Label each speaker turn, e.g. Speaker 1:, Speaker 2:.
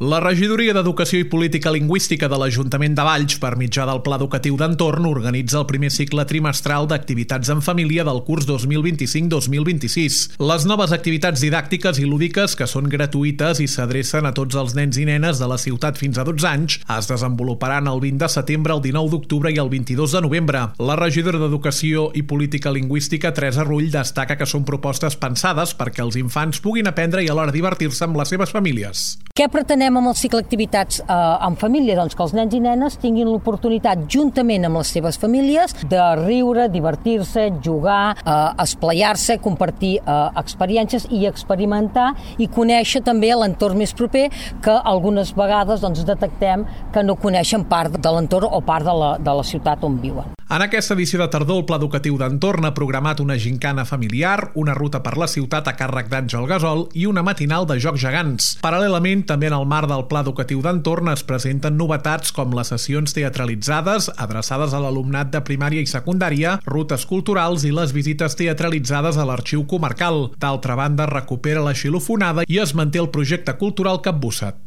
Speaker 1: La Regidoria d'Educació i Política Lingüística de l'Ajuntament de Valls, per mitjà del Pla Educatiu d'Entorn, organitza el primer cicle trimestral d'activitats en família del curs 2025-2026. Les noves activitats didàctiques i lúdiques, que són gratuïtes i s'adrecen a tots els nens i nenes de la ciutat fins a 12 anys, es desenvoluparan el 20 de setembre, el 19 d'octubre i el 22 de novembre. La regidora d'Educació i Política Lingüística, Teresa Rull, destaca que són propostes pensades perquè els infants puguin aprendre i alhora divertir-se amb les seves famílies.
Speaker 2: Què pretenem amb el cicle d'activitats en família? Doncs que els nens i nenes tinguin l'oportunitat, juntament amb les seves famílies, de riure, divertir-se, jugar, esplaiar-se, compartir experiències i experimentar i conèixer també l'entorn més proper, que algunes vegades detectem que no coneixen part de l'entorn o part de la ciutat on viuen.
Speaker 1: En aquesta edició de tardor, el Pla Educatiu d'Entorn ha programat una gincana familiar, una ruta per la ciutat a càrrec d'Àngel Gasol i una matinal de jocs gegants. Paral·lelament, també en el marc del Pla Educatiu d'Entorn es presenten novetats com les sessions teatralitzades adreçades a l'alumnat de primària i secundària, rutes culturals i les visites teatralitzades a l'Arxiu Comarcal. D'altra banda, recupera la xilofonada i es manté el projecte cultural Capbussat.